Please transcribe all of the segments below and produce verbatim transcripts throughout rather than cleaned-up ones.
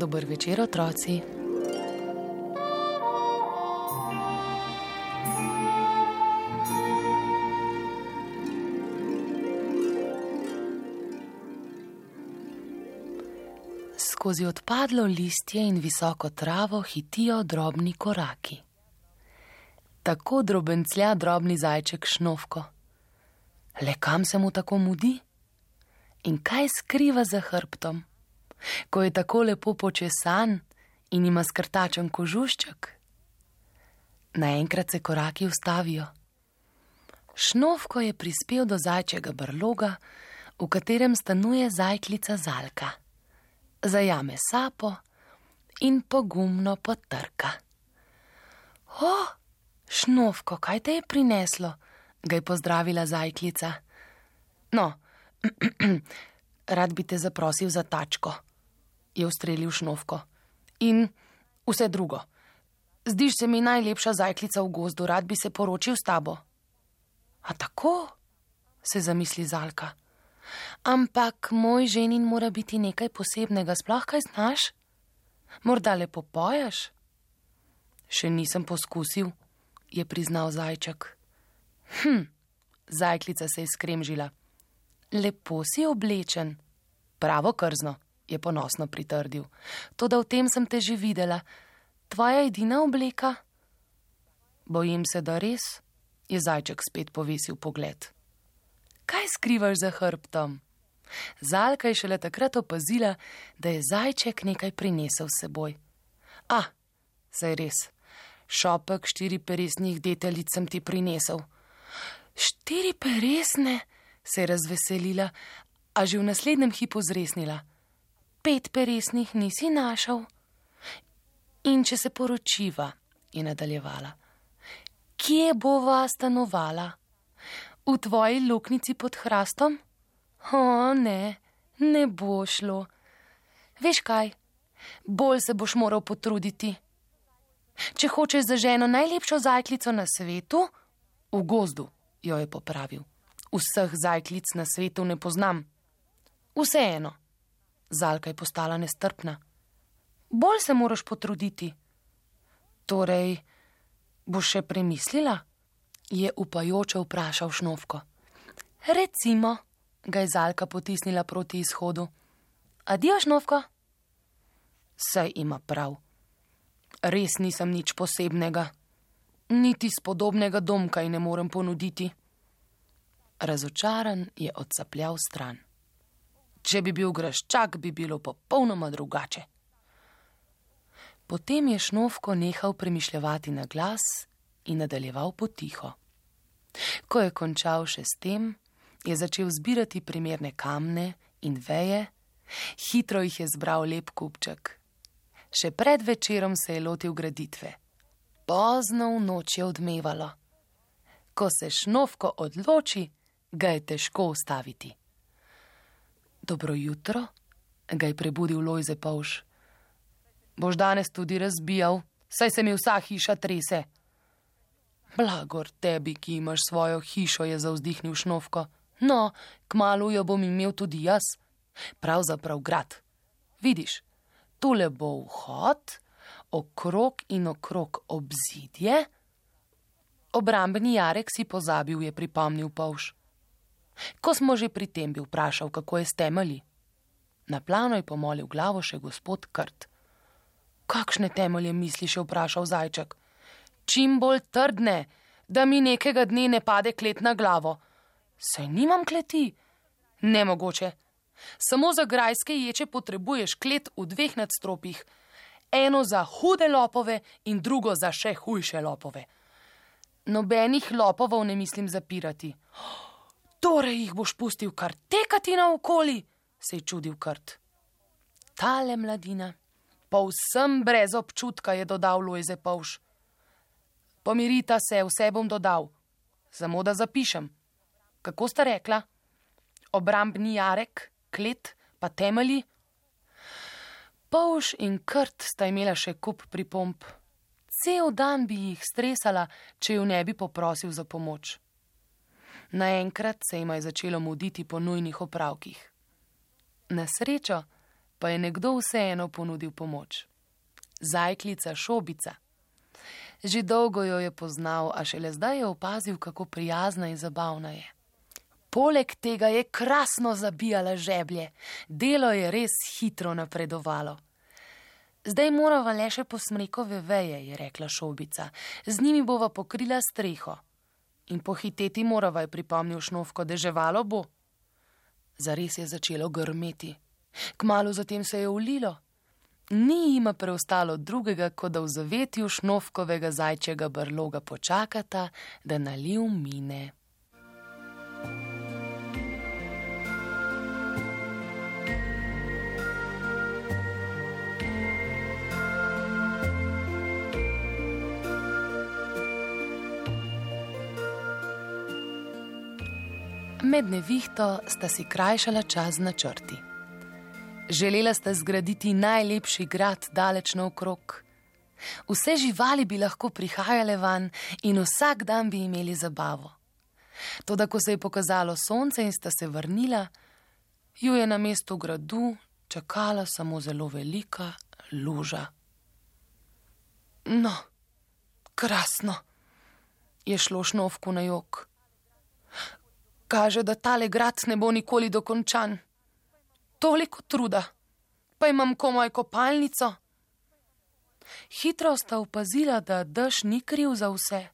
Dober večer, otroci. Skozi odpadlo listje in visoko travo hitijo drobni koraki. Tako drobenclja drobni zajček Šnofko. Le kam se mu tako mudi? In kaj skriva za hrbtom, ko je tako lepo počesan in ima skrtačen kožušček? Naenkrat se koraki ustavijo. Šnofko je prispel do zajčjega brloga, v katerem stanuje zajklica Zalka. Zajame sapo in pogumno potrka. O, Šnofko, kaj te je prineslo? Ga je pozdravila zajklica. No, rad bi te zaprosil za tačko, je ustrelil Šnofko. In vse drugo. Zdiš se mi najlepša zajklica v gozdu, rad bi se poročil s tabo. A tako? Se zamisli Zalka. Ampak moj ženin mora biti nekaj posebnega, sploh kaj znaš? Morda lepo poješ? Še nisem poskusil, je priznal zajček. Hm, zajklica se je skremžila. Lepo si oblečen. Pravo krzno, je ponosno pritrdil. Toda v tem sem te že videla. Tvoja edina obleka? Bojim se, da res, je zajček spet povesil pogled. Kaj skrivaš za hrbtom? Zalka je šele takrat opazila, da je zajček nekaj prinesel s seboj. A, saj res, šopek štiriperesnih deteljic sem ti prinesel. Štiri peresne, se je razveselila, a že v naslednjem hipu zresnila. Pet peresnih nisi našel? In če se poročiva, je nadaljevala, kje bova stanovala? V tvoji luknjici pod hrastom? O, ne, ne bo šlo. Veš kaj, bolj se boš moral potruditi. Če hočeš za ženo najlepšo zajklico na svetu, v gozdu, jo je popravil. Vseh zajklic na svetu ne poznam. Vseeno, Zalka je postala nestrpna. Bolj se moraš potruditi. Torej, boš še premislila? Je upajoče vprašal Šnofko. Recimo, ga je Zalka potisnila proti izhodu. Adijo, Šnofko? Saj ima prav. Res nisem nič posebnega. Niti spodobnega domka ji ne morem ponuditi. Razočaran je odsapljal stran. Če bi bil graščak, bi bilo popolnoma drugače. Potem je Šnofko nehal premišljevati na glas in nadaljeval potiho. Ko je končal še s tem, je začel zbirati primerne kamne in veje, hitro jih je zbral lep kupček. Še pred večerom se je lotil graditve. Pozno v noč je odmevalo. Ko se Šnofko odloči, ga je težko ustaviti. Dobro jutro, ga je prebudil Lojze Polž. Boš danes tudi razbijal, saj se mi vsa hiša trese. Blagor tebi, ki imaš svojo hišo, je zavzdihnil Šnofko. No, kmalu jo bom imel tudi jaz. Pravzaprav grad. Vidiš, tule bo vhod, okrog in okrog obzidje. Obrambni jarek si pozabil, je pripomnil Polž. Ko smo že pri tem, bi vprašal, kako je s temelji. Na plano je pomolil glavo še gospod Krt. Kakšne temelje misliš, je vprašal zajček. Čim bolj trdne, da mi nekega dne ne pade klet na glavo. Saj nimam kleti. Nemogoče. Samo za grajske ječe potrebuješ klet v dveh nadstropjih. Eno za hude lopove in drugo za še hujše lopove. Nobenih lopovov ne mislim zapirati. Torej jih boš pustil kar tekati naokoli, se je čudil Krt. Tale mladina, povsem brez občutka, je dodal Lojze Polž. Pomirita se, vse bom dodal. Samo da zapišem. Kako sta rekla? Obrambni jarek, klet, pa temelji? Polž in Krt sta imela še kup pripomb. Cel dan bi jih stresala, če ju ne bi poprosil za pomoč. Naenkrat se jima je začelo muditi po nujnih opravkih. Na srečo pa je nekdo vseeno ponudil pomoč. Zajklica Šobica. Že dolgo jo je poznal, a šele zdaj je opazil, kako prijazna in zabavna je. Poleg tega je krasno zabijala žeblje, delo je res hitro napredovalo. Zdaj morava le še po smrekove veje, je rekla Šobica, z njimi bova pokrila streho. In pohiteti morava, je pripomnil Šnofko, deževalo bo. Zares je začelo grmeti. Kmalu zatem se je ulilo. Ni jima preostalo drugega, kot da v zavetju Šnofkovega zajčjega brloga počakata, da naliv mine. Med nevihto sta si krajšala čas z načrti. Želela sta zgraditi najlepši grad daleč naokrog. Vse živali bi lahko prihajale van in vsak dan bi imeli zabavo. Toda ko se je pokazalo sonce in sta se vrnila, ju je na mestu gradu čakala samo zelo velika luža. No, krasno, je šlo Šnofku na jok. Kaže, da tale grad ne bo nikoli dokončan. Toliko truda, pa imam komaj kopalnico. Hitro sta opazila, da dež ni kriv za vse.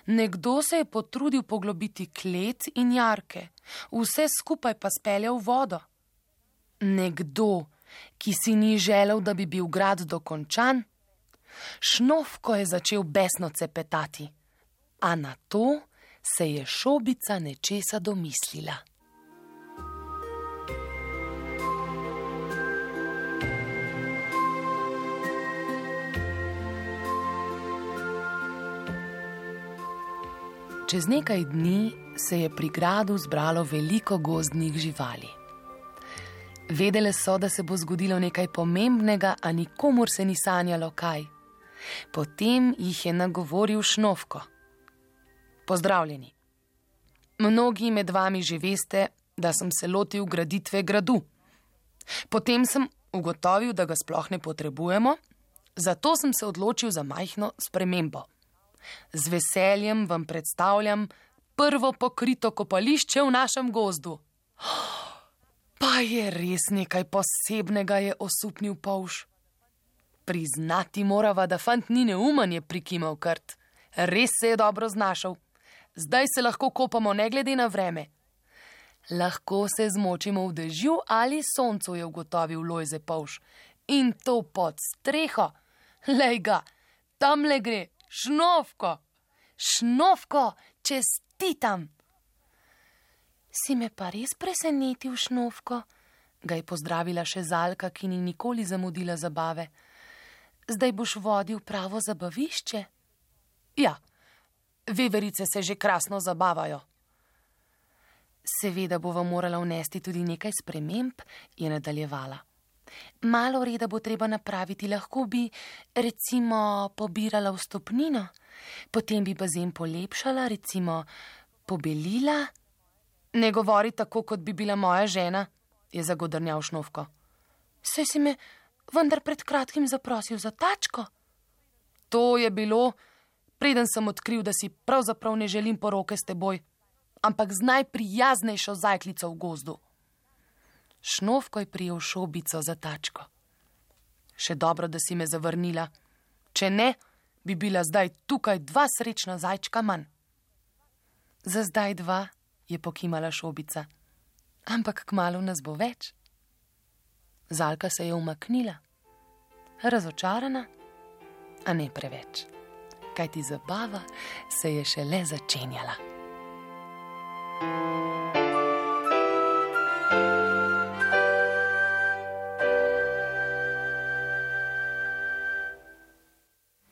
Nekdo se je potrudil poglobiti klet in jarke, vse skupaj pa speljal v vodo. Nekdo, ki si ni želel, da bi bil grad dokončan. Šnofko je začel besno cepetati, a na to se je Šobica nečesa domislila. Čez nekaj dni se je pri gradu zbralo veliko gozdnih živali. Vedele so, da se bo zgodilo nekaj pomembnega, a nikomur se ni sanjalo kaj. Potem jih je nagovoril Šnofko. Pozdravljeni. Mnogi med vami že veste, da sem se lotil graditve gradu. Potem sem ugotovil, da ga sploh ne potrebujemo, zato sem se odločil za majhno spremembo. Z veseljem vam predstavljam prvo pokrito kopališče v našem gozdu. Pa je res nekaj posebnega, je osupnil polž. Priznati morava, da fant ni neumen, je prikimal Krt. Res se je dobro znašel. Zdaj se lahko kopamo ne glede na vreme. Lahko se zmočimo v dežju ali soncu, je ugotovil Lojze polž. In to pod streho. Lej ga, tamle gre, Šnofko. Šnofko, čestitam. Si me pa res presenetil, Šnofko, ga je pozdravila še Zalka, ki ni nikoli zamudila zabave. Zdaj boš vodil pravo zabavišče? Ja. Veverice se že krasno zabavajo. Seveda bova morala vnesti tudi nekaj sprememb, je nadaljevala. Malo reda bo treba napraviti, lahko bi, recimo, pobirala vstopnino, potem bi bazen polepšala, recimo, pobelila. Ne govori tako, kot bi bila moja žena, je zagodrnjal Šnofko. Saj si me vendar pred kratkim zaprosil za tačko. To je bilo, preden sem odkril, da si pravzaprav ne želim poroke s teboj, ampak z najprijaznejšo zajklico v gozdu. Šnofko je prijel Šobico za tačko. Še dobro, da si me zavrnila. Če ne, bi bila zdaj tukaj dva srečna zajčka manj. Za zdaj dva, je pokimala Šobica, ampak kmalu nas bo več. Zalka se je umaknila, razočarana, a ne preveč. Kajti zabava se je šele začenjala.